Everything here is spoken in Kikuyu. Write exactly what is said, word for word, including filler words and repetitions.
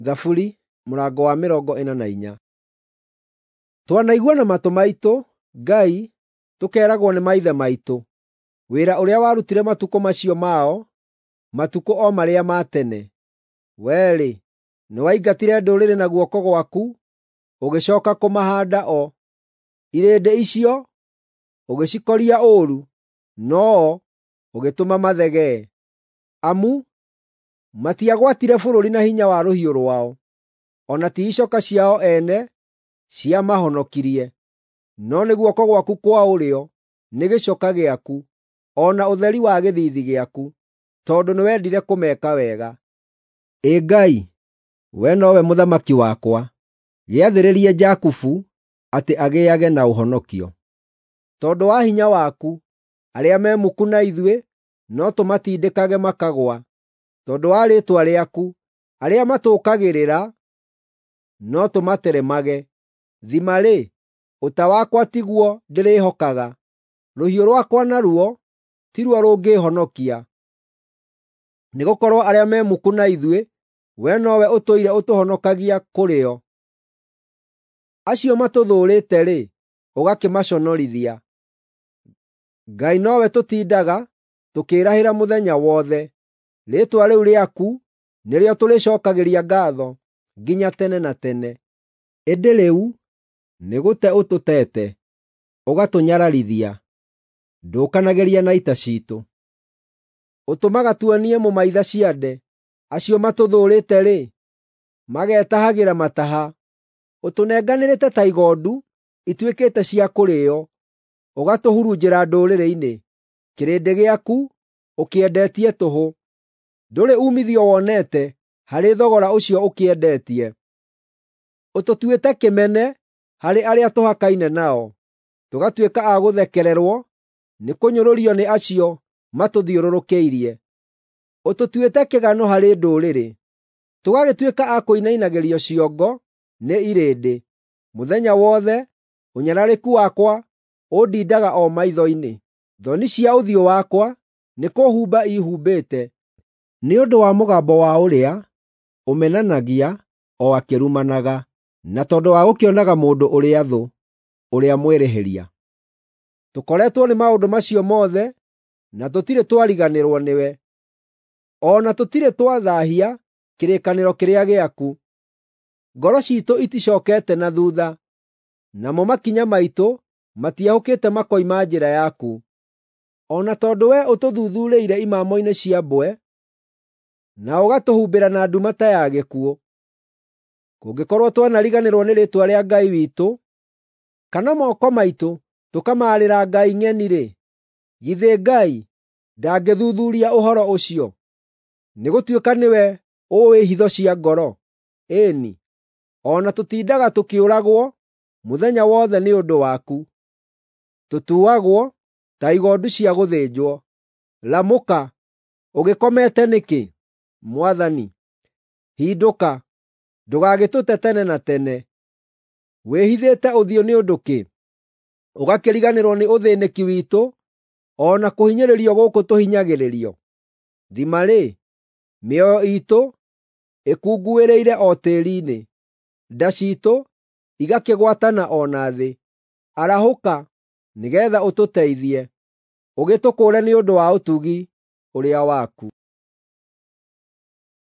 Thaburi mũrango wa mĩrongo ĩna na inya. Twanaigua na matũ maitũ, Ngai, tũkeeragwo nĩ maithe maitũ, wĩra ũrĩa warutire matukũ macio mao, matukũ o marĩa ma tene. Wee-rĩ, nĩwaingatire ndũrĩrĩ na guoko gwaku, ũgĩcooka kũmahaanda o. Irĩndĩ icio ũgĩcikoria ũũru, no-o ũgĩtũma mathegee. Amu matiagwatire bũrũri na hinya wa rũhiũ rwao, o na ti icoka ciao ene ciamahonokirie, no nĩ guoko gwaku kwa ũrĩo, nĩ gĩcoka gĩaku, o na ũtheri wa gĩthiithi gĩaku, tondũ nĩwendire kũmeka wega. Ĩ Ngai, we nowe mũthamaki wakwa, gĩathĩrĩrie Jakubu atĩ agĩage na ũhonokio. Tondũ wa hinya waku, arĩa me muku na ithuĩ no tũmatindĩkage makagũa. Tondũ wa rĩĩtwa rĩaku, arĩa matũũkagĩrĩra no tũmateremage. Thima-rĩ, ũta wakwa tiguo ndĩrĩhokaga, rũhiũ rwakwa naruo tiruo rũngĩĩhonokia. Nĩgũkorwo arĩa me muku na ithuĩ, we nowe ũtũire ũtũhonokagia kũrĩ o. Acio matũthũũrĩte-rĩ, ũgakĩmaconorithia. Ngai nowe tũtindaga tũkĩĩrahĩra mũthenya wothe. Rĩĩtwa rĩu rĩaku nĩrĩo tũrĩcookagĩria ngaatho nginya tene na tene. Ĩndĩ rĩu nĩgũte ũtũteete, ũgatũnyararithia; ndũkanagĩria na ita ciitũ. Ũtũmaga tuonie mũmaitha ciande; acio matũthũũrĩte-rĩ, magetahagĩra mataha. Ũtũnenganĩrĩte ta igondu ituĩkĩte cia kũrĩĩo, ũgatũhurunjĩra ndũrĩrĩ-inĩ. Kĩrĩndĩ gĩaku ũkĩendetie tũhũ; ndũrĩ uumithio wonete harĩ thogora ũcio ũkĩendetie. Ũtũtuĩte kĩmene harĩ arĩa tũhakaine nao, tũgatuĩka a gũthekererwo nĩ kũnyũrũrio nĩ acio matũthiũrũrũkĩirie. Ũtũtuĩte kĩgano harĩ ndũrĩrĩ, tũgagĩtuĩka a kũinainagĩrio ciongo nĩ irĩndĩ. Mũthenya wothe ũnyararĩku wakwa ũndindaga o maitho-inĩ; thoni cia ũthiũ wakwa nĩkũhumba ihumbĩte nĩ ũndũ wa mũgambo wa ũrĩa ũmenanagia o akĩrumanaga, na tondũ wa gũkĩonaga mũndũ ũrĩa thũ, ũrĩa mwĩrĩhĩria. Tũkoretwo nĩ maũndũ macio mothe na tũtirĩ twariganĩrwo nĩwe, o na tũtirĩ twathaahia kĩrĩkanĩro kĩrĩa gĩaku. Ngoro ciitũ iticookete na thuutha, namo makinya maitũ matiehũkĩte makoima njĩra yaku. O na tondũ wee ũtũthuthuurĩire imamo-inĩ cia mbwe, na ũgatũhumbĩra na nduma ta ya gĩkuũ. Kũngĩkorwo twanariganĩrwo nĩ rĩĩtwa rĩa Ngai witũ, kana moko maitũ tũkamaarĩra ngai ng'eni-rĩ, githĩ Ngai ndangĩthuthuuria ũhoro ũcio? Nĩgũtuĩka nĩwe ũũĩ hitho cia ngoro. Ĩĩ-ni, o na tũtindaga tũkĩũragwo mũthenya wothe nĩ ũndũ waku; tũtuagwo ta igondu cia gũthĩnjwo. Ramũka! Ũgĩkomete nĩkĩ, Mwathani? Hindũka, ndũgagĩtũte tene na tene. Wĩhithĩte ũthiũ nĩ ũndũ kĩ, ũgakĩriganĩrwo nĩ ũthĩĩnĩki witũ o na kũhinyĩrĩrio gũkũ tũhinyagĩrĩrio? Thima-rĩ, mĩoyo iitũ ĩkunguĩrĩire o tĩĩri-inĩ, nda ciitũ igakĩgwatana o na thĩ. Arahũka nĩgeetha ũtũteithie, ũgĩtũkũũre nĩ ũndũ wa ũtugi ũrĩa waku.